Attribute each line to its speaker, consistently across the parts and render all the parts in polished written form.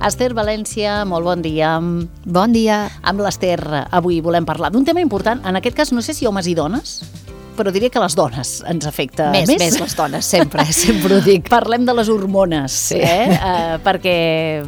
Speaker 1: Esther València, molt bon dia.
Speaker 2: Bon dia.
Speaker 1: Amb l'Esther avui volem parlar d'un tema important, en aquest cas no sé si homes i dones, però diria que les dones ens afecta més.
Speaker 2: Més les dones, sempre ho dic.
Speaker 1: Parlem de les hormones,
Speaker 2: sí.
Speaker 1: Perquè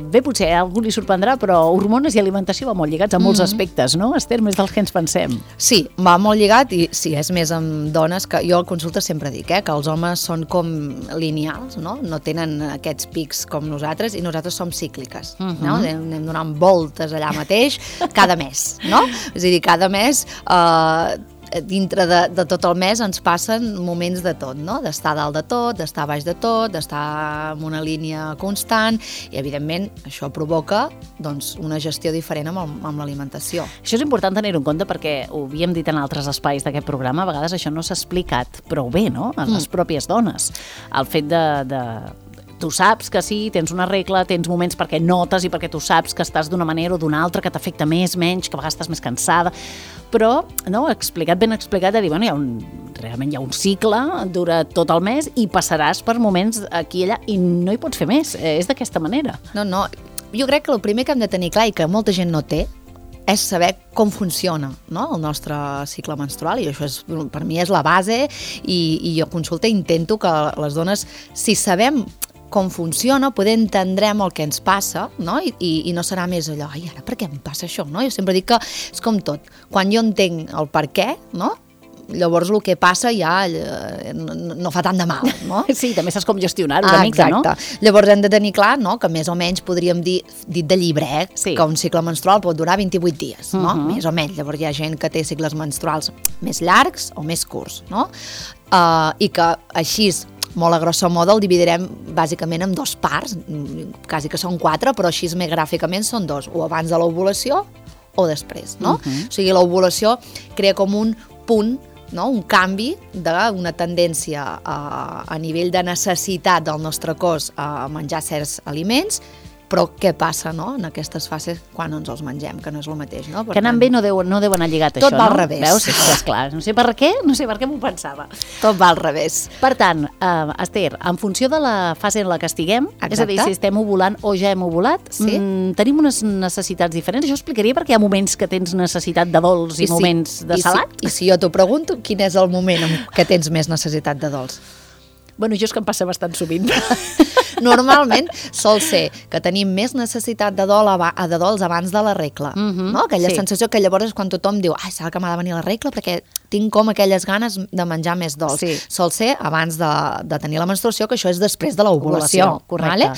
Speaker 1: bé, potser a algú li sorprendrà, però hormones i alimentació va molt lligats a molts aspectes, no, Esther? Més dels que ens pensem.
Speaker 2: Sí, va molt lligat i sí, és més amb dones, que jo al consulta sempre dic, que els homes són com lineals, no tenen aquests pics com nosaltres i nosaltres som cícliques, no? Anem donant voltes allà mateix cada mes, no? És a dir, cada mes dintre de tot el mes ens passen moments de tot, no? D'estar dalt de tot, d'estar baix de tot, d'estar en una línia constant i, evidentment, això provoca doncs, una gestió diferent amb l'alimentació.
Speaker 1: Això és important tenir-ho en compte perquè ho havíem dit en altres espais d'aquest programa, a vegades això no s'ha explicat prou bé, no? A les pròpies dones. El fet de tu saps que sí, tens una regla, tens moments perquè notes i perquè tu saps que estàs d'una manera o d'una altra, que t'afecta més, menys, que a vegades estàs més cansada, però no, ben explicat, de dir, bueno, realment hi ha un cicle, dura tot el mes i passaràs per moments aquí i allà i no hi pots fer més, és d'aquesta manera.
Speaker 2: No, jo crec que el primer que hem de tenir clar i que molta gent no té és saber com funciona, no? El nostre cicle menstrual, i això per mi és la base i jo consulta i intento que les dones, si sabem com funciona, poder entendrem el que ens passa, no? I no serà més allò, ai, ara per què em passa això? No? Jo sempre dic que és com tot, quan jo entenc el per què, no? Llavors el que passa ja no fa tant de mal, no?
Speaker 1: Sí, també saps com gestionar-ho una mica, no?
Speaker 2: Exacte. Llavors hem de tenir clar, no?, que més o menys podríem dir, dit de llibre, sí, que un cicle menstrual pot durar 28 dies, no? Més o menys. Llavors hi ha gent que té cicles menstruals més llargs o més curts, no? I que així, molt a grosso modo, el dividirem bàsicament en dos parts, quasi que són 4, però així més gràficament són 2, o abans de l'ovulació o després, no? O sigui, l'ovulació crea com un punt, no? Un canvi d'una tendència a nivell de necessitat del nostre cos a menjar certs aliments, però què passa, no?, en aquestes fases quan ens els mengem, que no és el mateix, no?
Speaker 1: Que anant bé no deu anar lligat això, no?
Speaker 2: Tot va al revés.
Speaker 1: Veus? Sí, esclar, no sé per què m'ho pensava.
Speaker 2: Tot va al revés.
Speaker 1: Per tant, Esther, en funció de la fase en la que estiguem, és a dir, si estem ovulant o ja hem ovulat, tenim unes necessitats diferents. Això explicaria perquè hi ha moments que tens necessitat de dolç i moments de salat?
Speaker 2: I si jo t'ho pregunto, quin és el moment en què tens més necessitat de dolç?
Speaker 1: Bueno, jo és que em passa bastant sovint.
Speaker 2: Normalment sol ser que tenim més necessitat de dolç abans de la regla, no? Aquella sensació que llavors és quan tothom diu, ai, serà que m'ha de venir la regla perquè tinc com aquelles ganes de menjar més dolç. Sí. Sol ser abans de tenir la menstruació, que això és després de l'ovulació.
Speaker 1: Correcte.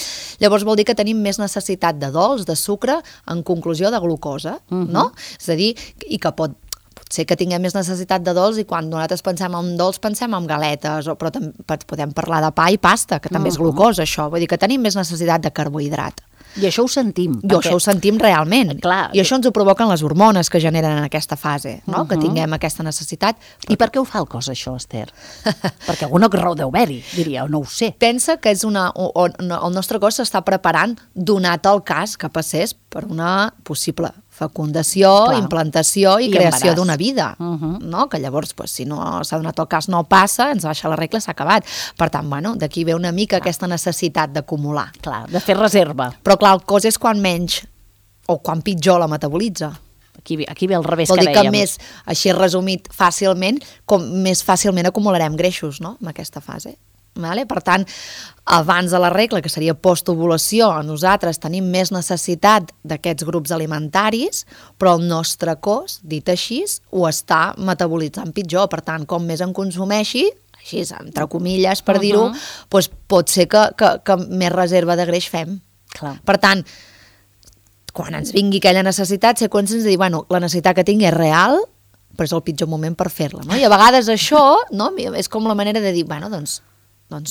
Speaker 2: Llavors vol dir que tenim més necessitat de dolç, de sucre, en conclusió de glucosa, no? És a dir, i que pot ser que tinguem més necessitat de dolç i quan nosaltres pensem en dolç pensem en galetes, però podem parlar de pa i pasta, que també és glucosa, això. Vull dir que tenim més necessitat de carbohidrat.
Speaker 1: I això ho sentim.
Speaker 2: Això ho sentim realment.
Speaker 1: Clar.
Speaker 2: I això ens ho provoquen les hormones que generen en aquesta fase, no? Que tinguem aquesta necessitat.
Speaker 1: I per què ho fa el cos, això, Esther? Perquè alguna raó deu haver-hi, diria, o no ho sé.
Speaker 2: Pensa que és el nostre cos s'està preparant, donat el cas que passés per una possible fecundació, implantació i creació d'una vida, no? Que llavors, si no s'ha donat el cas, no passa, ens baixa la regla, s'ha acabat. Per tant, bueno, d'aquí ve una mica aquesta necessitat d'acumular.
Speaker 1: Clar, de fer reserva.
Speaker 2: Però clar, el cos és quan menys o quan pitjor la metabolitza.
Speaker 1: Aquí ve al revés,
Speaker 2: vol
Speaker 1: que
Speaker 2: dir
Speaker 1: dèiem.
Speaker 2: Que més, així resumit fàcilment, com més fàcilment acumularem greixos, no?, en aquesta fase. Vale? Per tant, abans de la regla, que seria postovulació, nosaltres tenim més necessitat d'aquests grups alimentaris, però el nostre cos, dit així, ho està metabolitzant pitjor. Per tant, com més en consumeixi, així, entre comilles, per dir-ho, doncs pot ser que més reserva de greix fem.
Speaker 1: Clar.
Speaker 2: Per tant, quan ens vingui aquella necessitat, ser conscients de dir, bueno, la necessitat que tinc és real, però és el pitjor moment per fer-la, no? I a vegades això, no?, és com la manera de dir, bueno, doncs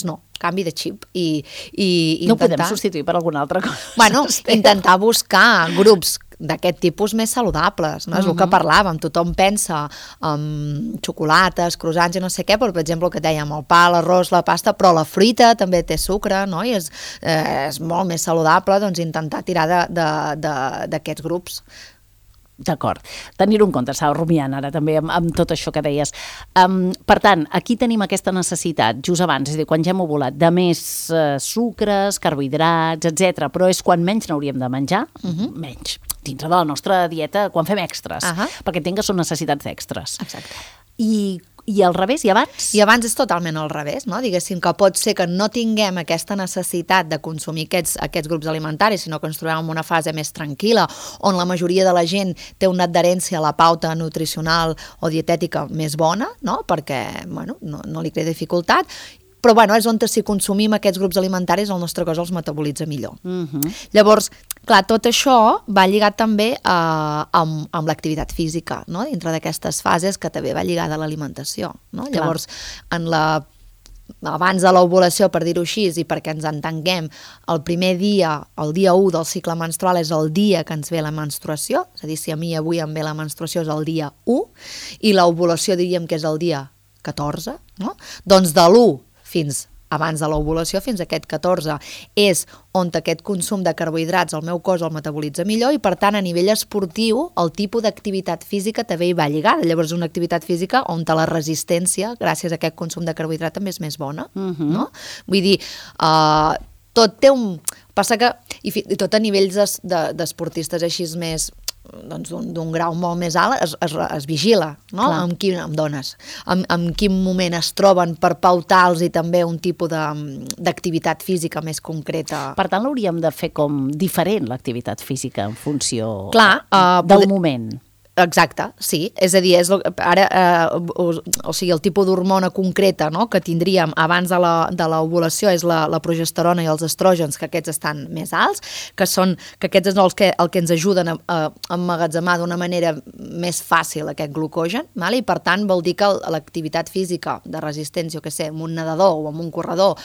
Speaker 2: no, canvi de xip i
Speaker 1: no ho podem substituir per alguna altra cosa.
Speaker 2: Bueno, intentar buscar grups d'aquest tipus més saludables, no? És el que parlàvem, tothom pensa en xocolates, croissants i no sé què, però per exemple el que dèiem, el pa, l'arròs, la pasta, però la fruita també té sucre, no? I és molt més saludable, doncs intentar tirar d'aquests grups.
Speaker 1: D'acord. Tenir-ho en compte, estava rumiant ara també amb tot això que deies. Per tant, aquí tenim aquesta necessitat, just abans, és a dir, quan ja hem ovulat, de més sucres, carbohidrats, etc. Però és quan menys n'hauríem de menjar, menys, dintre de la nostra dieta, quan fem extras, perquè entenc que són necessitats extres.
Speaker 2: Exacte.
Speaker 1: I al revés, i abans?
Speaker 2: I abans és totalment al revés, no? Diguéssim que pot ser que no tinguem aquesta necessitat de consumir aquests grups alimentaris, sinó que ens trobem en una fase més tranquil·la, on la majoria de la gent té una adherència a la pauta nutricional o dietètica més bona, no? Perquè no li crea dificultat, però és on si consumim aquests grups alimentaris el nostre cos els metabolitza millor. Llavors, clar, tot això va lligat també amb l'activitat física, no? Dintre d'aquestes fases que també va lligada a l'alimentació, no? Llavors, abans de l'ovulació, per dir-ho així, i perquè ens entenguem, el primer dia, el dia 1 del cicle menstrual és el dia que ens ve la menstruació, és a dir, si a mi avui em ve la menstruació és el dia 1, i l'ovulació diríem que és el dia 14, no? Doncs de l'1 fins abans de l'ovulació, fins a aquest 14, és on aquest consum de carbohidrats el meu cos el metabolitza millor i, per tant, a nivell esportiu, el tipus d'activitat física també hi va lligada. Llavors, una activitat física on la resistència, gràcies a aquest consum de carbohidrat, també és més bona, no? Vull dir, tot té un... Passa que, i tot a nivells d'esportistes així més... d'un grau molt més alt es vigila, no? Amb quin moment es troben per pautar-los i també un tipus d'activitat física més concreta.
Speaker 1: Per tant, l'hauríem de fer com diferent, l'activitat física, en funció del moment.
Speaker 2: Exacte, sí. És a dir, el tipus d'hormona concreta, no?, que tindríem abans de l'ovulació és la progesterona i els estrògens, que aquests estan més alts, que aquests són el que ens ajuden a emmagatzemar d'una manera més fàcil aquest glucogen, i per tant vol dir que l'activitat física de resistència, amb un nedador o amb un corredor,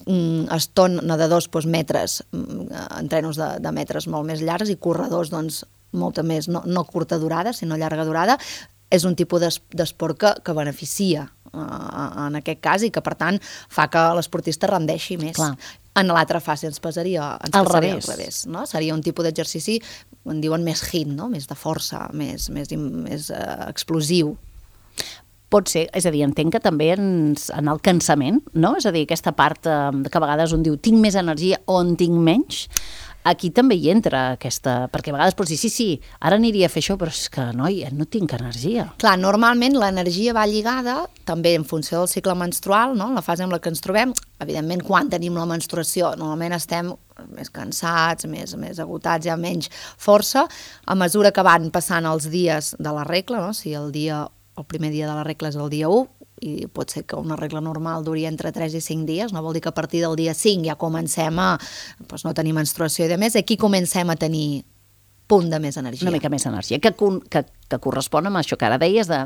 Speaker 2: nedadors metres, entrenos de metres molt més llargs i corredors molta més, no curta durada, sinó llarga durada, és un tipus d'esport que beneficia en aquest cas i que, per tant, fa que l'esportista rendeixi més.
Speaker 1: Clar.
Speaker 2: En l'altra fase ens passaria al revés, no? Seria un tipus d'exercici, en diuen més HIIT, no? Més de força, més explosiu.
Speaker 1: Pot ser, és a dir, entenc que també en el cansament, no? És a dir, aquesta part que a vegades un diu tinc més energia o en tinc menys, aquí també hi entra aquesta... Perquè a vegades pots dir, sí, ara aniria a fer això, però és que, noi, no tinc energia.
Speaker 2: Clar, normalment l'energia va lligada també en funció del cicle menstrual, no? La fase en la que ens trobem. Evidentment, quan tenim la menstruació, normalment estem més cansats, més agotats, hi ha menys força. A mesura que van passant els dies de la regla, no? Si el primer dia de la regla és el dia 1, i pot ser que una regla normal duri entre 3 i 5 dies, no vol dir que a partir del dia 5 ja comencem a no tenir menstruació i demés, aquí comencem a tenir punt de més energia.
Speaker 1: Una mica més energia, que correspon amb això que ara deies de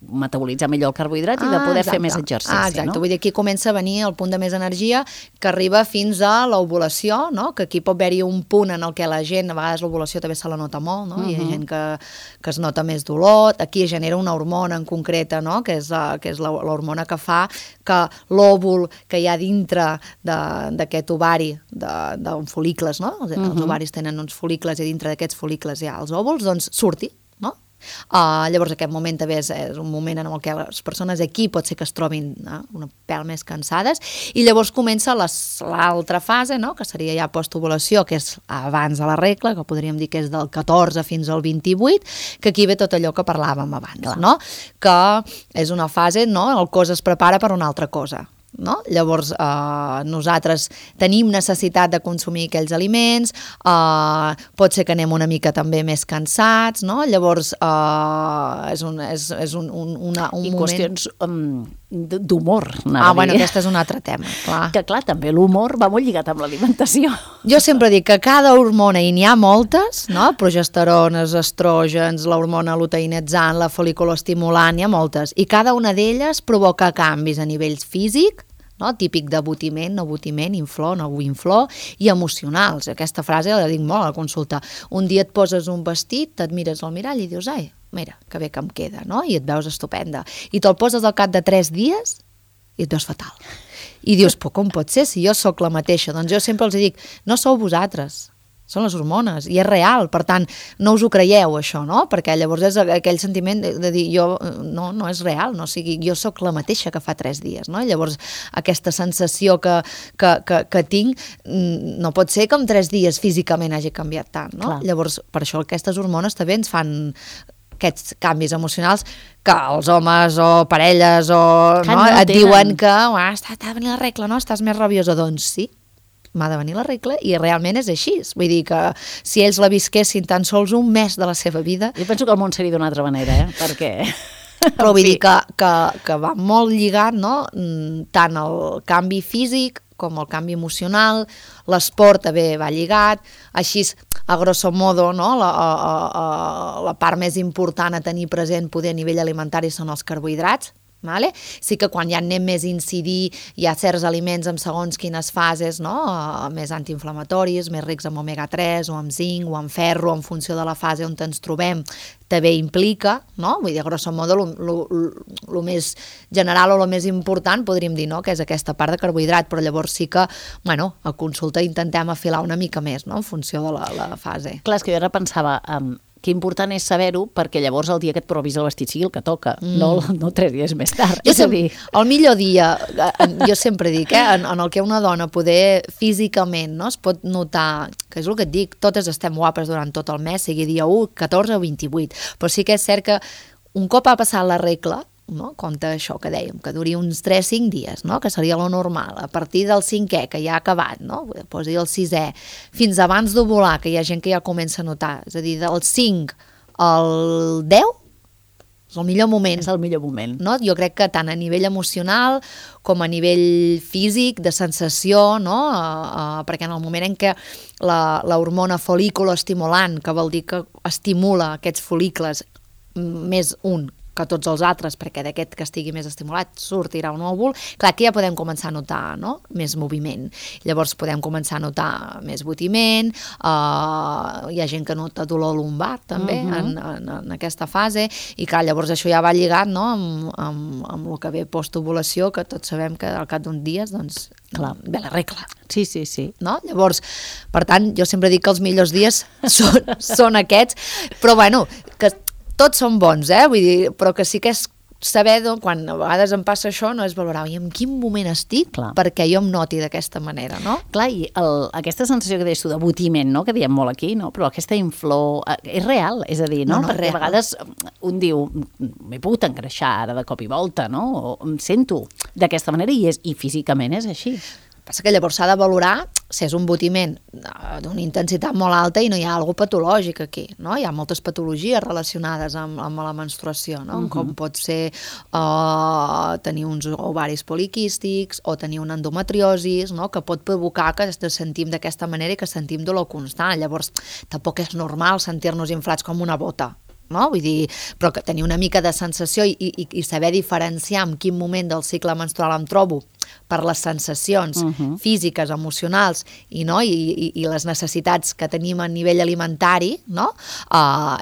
Speaker 1: metabolitzar millor el carbohidrat i de poder fer més exercici.
Speaker 2: Exacte,
Speaker 1: no?
Speaker 2: Vull dir, aquí comença a venir el punt de més energia que arriba fins a l'ovulació, no? Que aquí pot haver-hi un punt en el que la gent, a vegades l'ovulació també se la nota molt, no? Hi ha gent que es nota més dolor, aquí es genera una hormona en concreta, no? Que és l'hormona que fa que l'òvul que hi ha dintre d'aquest ovari, d'un fol·licles, no? Els ovaris tenen uns fol·licles i dintre d'aquests fol·licles hi ha els òvuls, doncs surti. Llavors aquest moment també és un moment en el que les persones aquí pot ser que es trobin una pèl més cansades i llavors comença l'altra fase, no? Que seria ja postovulació, que és abans de la regla, que podríem dir que és del 14 fins al 28, que aquí ve tot allò que parlàvem abans, no? Que és una fase, no? El cos es prepara per una altra cosa. No? Llavors nosaltres tenim necessitat de consumir aquells aliments, pot ser que anem una mica també més cansats, no? Llavors és un moment...
Speaker 1: I qüestions d'humor,
Speaker 2: bueno, aquest és un altre tema, clar.
Speaker 1: Que clar, també l'humor va molt lligat amb l'alimentació.
Speaker 2: Jo sempre dic que cada hormona, i n'hi ha moltes, no? Progesterones, estrògens, l'hormona luteinitzant, la fol·liculoestimulant, n'hi ha moltes, i cada una d'elles provoca canvis a nivell físic, no? Típic d'abotiment, no abotiment, inflor, no inflor, i emocionals. Aquesta frase la dic molt a la consulta. Un dia et poses un vestit, et mires al mirall i dius, ai, mira, que bé que em queda, no? I et veus estupenda. I te'l poses al cap de 3 dies i et veus fatal. I dius, però com pot ser si jo sóc la mateixa? Doncs jo sempre els dic, no sou vosaltres, són les hormones, i és real, per tant, no us ho creieu, això, no? Perquè llavors és aquell sentiment de dir, no és real, no? O sigui, jo sóc la mateixa que fa 3 dies, no? Llavors, aquesta sensació que tinc, no pot ser que en 3 dies físicament hagi canviat tant, no? Clar. Llavors, per això aquestes hormones també ens fan aquests canvis emocionals que els homes o parelles et diuen que t'ha de venir la regla, no? Estàs més rabiosa, doncs sí, m'ha de venir la regla i realment és així. Vull dir que si ells la visquessin tan sols un mes de la seva vida...
Speaker 1: Jo penso que el món seria d'una altra manera, perquè...
Speaker 2: Però vull dir que va molt lligat, no? Tant el canvi físic com el canvi emocional, l'esport també va lligat, així, a grosso modo, no? La part més important a tenir present poder a nivell alimentari són els carbohidrats. Vale? Sí que quan ja anem més a incidir hi ha certs aliments en segons quines fases, no? Més antiinflamatoris, més rics en omega-3 o en zinc o en ferro, en funció de la fase on ens trobem, també implica, no? Vull dir, a grosso modo, el més general o el més important podríem dir, no? Que és aquesta part de carbohidrat, però llavors sí que, bueno, a consulta intentem afilar una mica més, no? En funció de la fase.
Speaker 1: Clar, és que jo ara pensava... que important és saber-ho perquè llavors el dia que et provis el vestit sigui el que toca, no 3 dies més tard.
Speaker 2: El millor dia, jo sempre dic, en el que una dona poder físicament, no, es pot notar, que és el que et dic, totes estem guapes durant tot el mes, sigui dia 1, 14 o 28, però sí que és cert que un cop ha passat la regla, no? Compte això que dèiem, que duri uns 3-5 dies, no? Que seria lo normal, a partir del 5è, que ja ha acabat, no? Posi el 6è, fins abans d'ovular, que hi ha gent que ja comença a notar, és a dir, del 5 al 10 és el millor moment.
Speaker 1: És el millor moment.
Speaker 2: No? Jo crec que tant a nivell emocional com a nivell físic, de sensació, no? Perquè en el moment en què l'hormona folículo-estimulant, que vol dir que estimula aquests folícules més un que tots els altres, perquè d'aquest que estigui més estimulat sortirà un òvul, clar, aquí ja podem començar a notar, no? Més moviment. Llavors podem començar a notar més botiment, hi ha gent que nota dolor lumbar també en aquesta fase, i clar, llavors això ja va lligat, no? amb el que ve postovulació, que tots sabem que al cap d'uns dies doncs, clar, ve la regla.
Speaker 1: Sí.
Speaker 2: No? Llavors, per tant, jo sempre dic que els millors dies són aquests, però bueno, que tots són bons, vull dir, però que sí que és saber, quan a vegades em passa això, no és valorar, i en quin moment estic, clar, perquè jo em noti d'aquesta manera, no?
Speaker 1: Clar, i aquesta sensació que deies tu d'abotiment, no?, que diem molt aquí, no?, però aquesta inflor és real, és a dir, no? Perquè a vegades un diu, m'he pogut engreixar ara de cop i volta, no?, o em sento d'aquesta manera i físicament és així.
Speaker 2: Passa que llavors s'ha de valorar si és un botiment d'una intensitat molt alta i no hi ha alguna patològic aquí, no? Hi ha moltes patologies relacionades amb la menstruació, no? Com pot ser tenir uns ovaris poliquístics o tenir una endometriosis, no? Que pot provocar que ens sentim d'aquesta manera i que sentim dolor constant. Llavors, tampoc és normal sentir-nos inflats com una bota, no? Vull dir, però que tenir una mica de sensació i saber diferenciar en quin moment del cicle menstrual em trobo per les sensacions físiques, emocionals i les necessitats que tenim a nivell alimentari, no?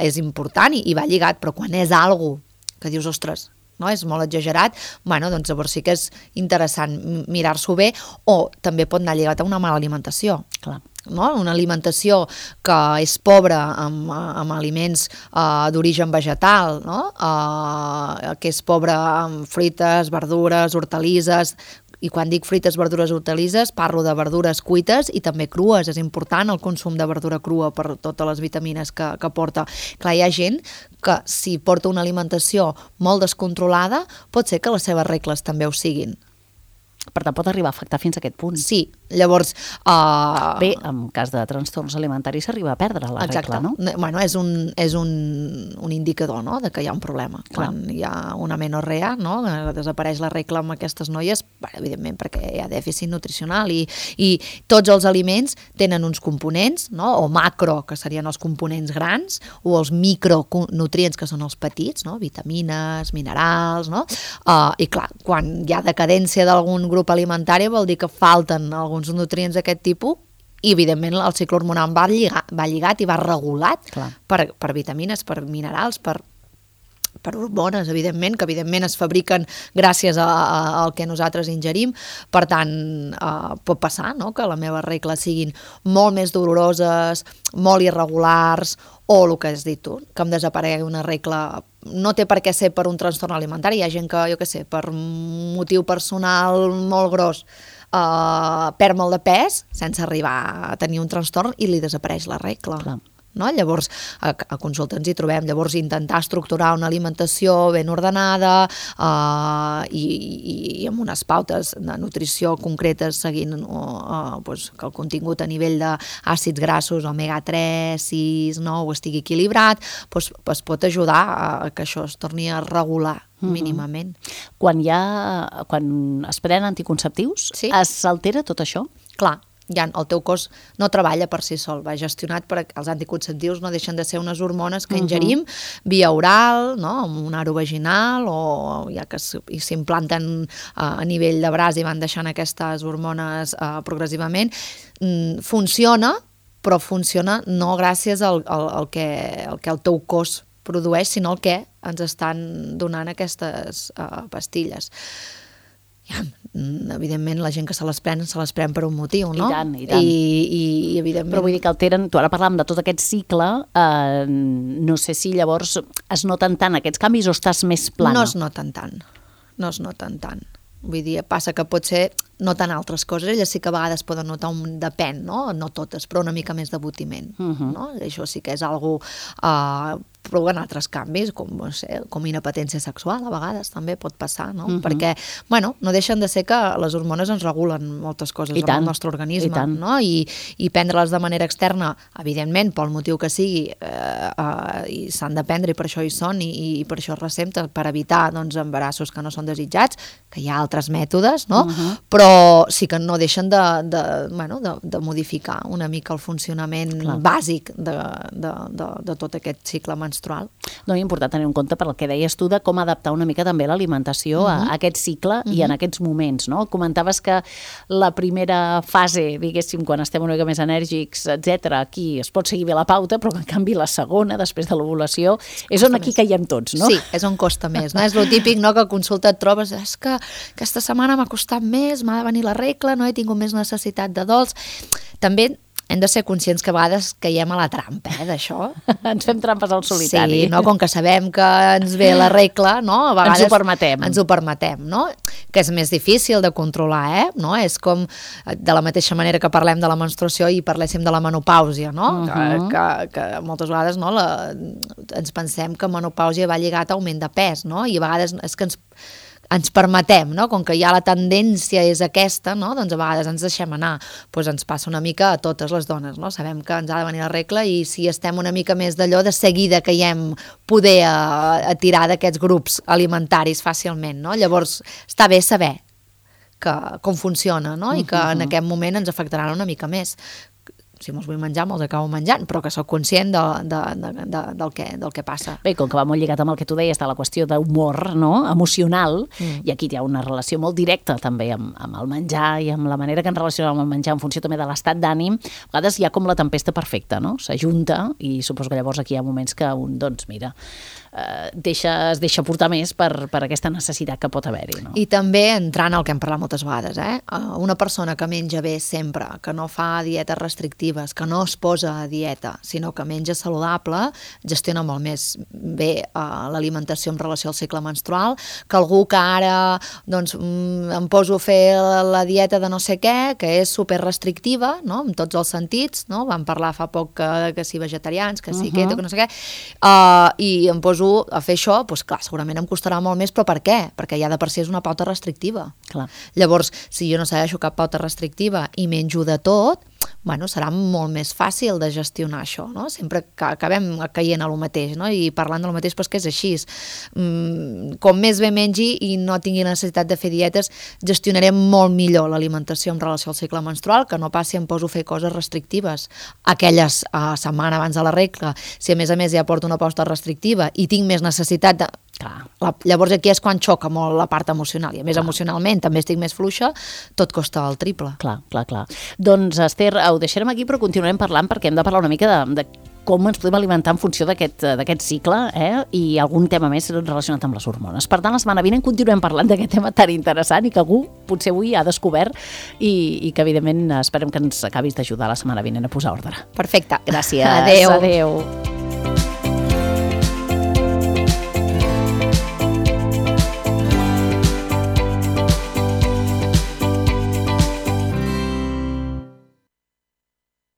Speaker 2: És important i va lligat, però quan és algo que dius, ostres, no? És molt exagerat, bueno, doncs llavors sí que és interessant mirar-s'ho bé, o també pot anar lligat a una mala alimentació.
Speaker 1: Clar.
Speaker 2: No? Una alimentació que és pobra amb aliments d'origen vegetal, no? Que és pobra amb fruites, verdures, hortalisses, i quan dic fruites, verdures, hortalisses, parlo de verdures cuites i també crues. És important el consum de verdura crua per totes les vitamines que porta. Clar, hi ha gent que si porta una alimentació molt descontrolada, pot ser que les seves regles també ho siguin.
Speaker 1: Per tant, pot arribar a afectar fins a aquest punt.
Speaker 2: Sí, llavors...
Speaker 1: Bé, en cas de trastorns alimentaris s'arriba a perdre la regla, no?
Speaker 2: Bueno, és un indicador, no?, de que hi ha un problema. Clar. Quan hi ha una menorrea, no?, desapareix la regla amb aquestes noies, evidentment perquè hi ha dèficit nutricional i tots els aliments tenen uns components, no?, o macro, que serien els components grans, o els micronutrients, que són els petits, no?, vitamines, minerals, no?, i clar, quan hi ha decadència d'algun grup alimentari vol dir que falten alguns nutrients d'aquest tipus i evidentment el cicle hormonal va lligat i va regulat per vitamines, per minerals, per per hormones, evidentment, que evidentment es fabriquen gràcies al que nosaltres ingerim. Per tant, pot passar, no?, que les meves regles siguin molt més doloroses, molt irregulars, o el que has dit tu, que em desaparegui una regla. No té per què ser per un trastorn alimentari. Hi ha gent que, jo què sé, per un motiu personal molt gros, perd molt de pes sense arribar a tenir un trastorn i li desapareix la regla.
Speaker 1: Clar.
Speaker 2: No? Llavors, a consulta ens hi trobem. Llavors, intentar estructurar una alimentació ben ordenada i amb unes pautes de nutrició concretes seguint que el contingut a nivell d'àcids grassos, omega-3, 6, 9, estigui equilibrat, es pot ajudar a que això es torni a regular mínimament.
Speaker 1: Quan es prenen anticonceptius, s'altera tot això?
Speaker 2: Clar. El teu cos no treballa per si sol, va gestionat per els anticonceptius, no deixen de ser unes hormones que ingerim via oral, no?, amb un aro vaginal, o ja que s'implanten a nivell de braç i van deixant aquestes hormones progressivament. Funciona, però funciona no gràcies al que el teu cos produeix, sinó el que ens estan donant aquestes pastilles. Evidentment la gent que se les pren per un motiu, no?
Speaker 1: I tant, i tant.
Speaker 2: I evidentment...
Speaker 1: Però vull dir que alteren, tu ara parlàvem de tot aquest cicle, no sé si llavors es noten tant aquests canvis o estàs més plana?
Speaker 2: No es noten tant. Vull dir, passa que potser noten altres coses, elles sí que a vegades poden notar depèn, no totes, però una mica més d'abotiment, no? Això sí que és algo però en altres canvis, com inapetència sexual, a vegades també pot passar, no? Perquè, no deixen de ser que les hormones ens regulen moltes coses en el nostre organisme, no? I prendre-les de manera externa, evidentment, pel motiu que sigui, i s'han de prendre, i per això hi són, i per això es recepta, per evitar embarassos que no són desitjats, que hi ha altres mètodes, no? Però sí que no deixen de modificar una mica el funcionament bàsic de tot aquest cicle menstrual.
Speaker 1: No, és important tenir en compte per el que deies tu de com adaptar una mica també l'alimentació a aquest cicle i en aquests moments, no? Comentaves que la primera fase, diguéssim, quan estem una mica més enèrgics, etc., aquí es pot seguir bé la pauta, però en canvi la segona, després de l'ovulació, és on aquí caiem tots, no?
Speaker 2: Sí, és on costa més, no? És lo típic, no?, que a consulta et trobes, és que aquesta setmana m'ha costat més, m'ha de venir la regla, no he tingut més necessitat de dols. També hem de ser conscients que a vegades caiem a la trampa, d'això.
Speaker 1: Ens fem trampes al solitari.
Speaker 2: Sí, no? Com que sabem que ens ve la regla, no? A vegades ens ho permetem, no? Que és més difícil de controlar, no? És com, de la mateixa manera que parlem de la menstruació i parléssim de la menopàusia, no? Que moltes vegades ens pensem que menopàusia va lligat a augment de pes, no? I a vegades és que ens permetem, no? Com que ja la tendència és aquesta, no? Doncs a vegades ens deixem anar. Doncs ens passa una mica a totes les dones, no? Sabem que ens ha de venir la regla i si estem una mica més d'allò, de seguida caiem poder a tirar d'aquests grups alimentaris fàcilment, no? Llavors està bé saber com funciona, no? I que en aquest moment ens afectaran una mica més. Si me'ls vull menjar, me'ls acabo menjant, però que soc conscient del que passa.
Speaker 1: Bé, com que va molt lligat amb el que tu deies de la qüestió d'humor, no?, emocional, i aquí hi ha una relació molt directa també amb el menjar i amb la manera que ens relacionem amb el menjar en funció també de l'estat d'ànim, a vegades hi ha com la tempesta perfecta, no? S'ajunta i suposo que llavors aquí hi ha moments que un, doncs mira, es deixa portar més per aquesta necessitat que pot haver-hi, no?
Speaker 2: I també entrant al que hem parlat moltes vegades, una persona que menja bé sempre, que no fa dietes restrictives, que no es posa a dieta, sinó que menja saludable, gestiona molt més bé l'alimentació en relació al cicle menstrual, que algú que ara em poso a fer la dieta de no sé què, que és super restrictiva, no?, en tots els sentits, no? Vam parlar fa poc que si vegetarians, que si keto, que no sé què, i em poso a fer això, doncs clar, segurament em costarà molt més, però per què? Perquè ja de per si és una pauta restrictiva.
Speaker 1: Clar.
Speaker 2: Llavors, si jo no segueixo cap pauta restrictiva i menjo de tot, serà molt més fàcil de gestionar això, no? Sempre acabem caient a lo mateix, no? I parlant de lo mateix, doncs que és així. Com més bé mengi i no tingui necessitat de fer dietes, gestionarem molt millor l'alimentació en relació al cicle menstrual, que no passi em poso a fer coses restrictives aquelles setmana abans de la regla. Si a més ja porto una pauta restrictiva i tinc més necessitat de... Llavors aquí és quan xoca molt la part emocional i a més emocionalment també estic més fluixa, tot costa el triple.
Speaker 1: Clar. Doncs Esther, ho deixarem aquí però continuarem parlant perquè hem de parlar una mica de com ens podem alimentar en funció d'aquest cicle, i algun tema més relacionat amb les hormones. Per tant, la setmana vinent continuem parlant d'aquest tema tan interessant i que algú potser avui ha descobert i que, evidentment, esperem que ens acabis d'ajudar la setmana vinent a posar ordre.
Speaker 2: Perfecte.
Speaker 1: Gràcies.
Speaker 2: Adéu.
Speaker 1: Adéu.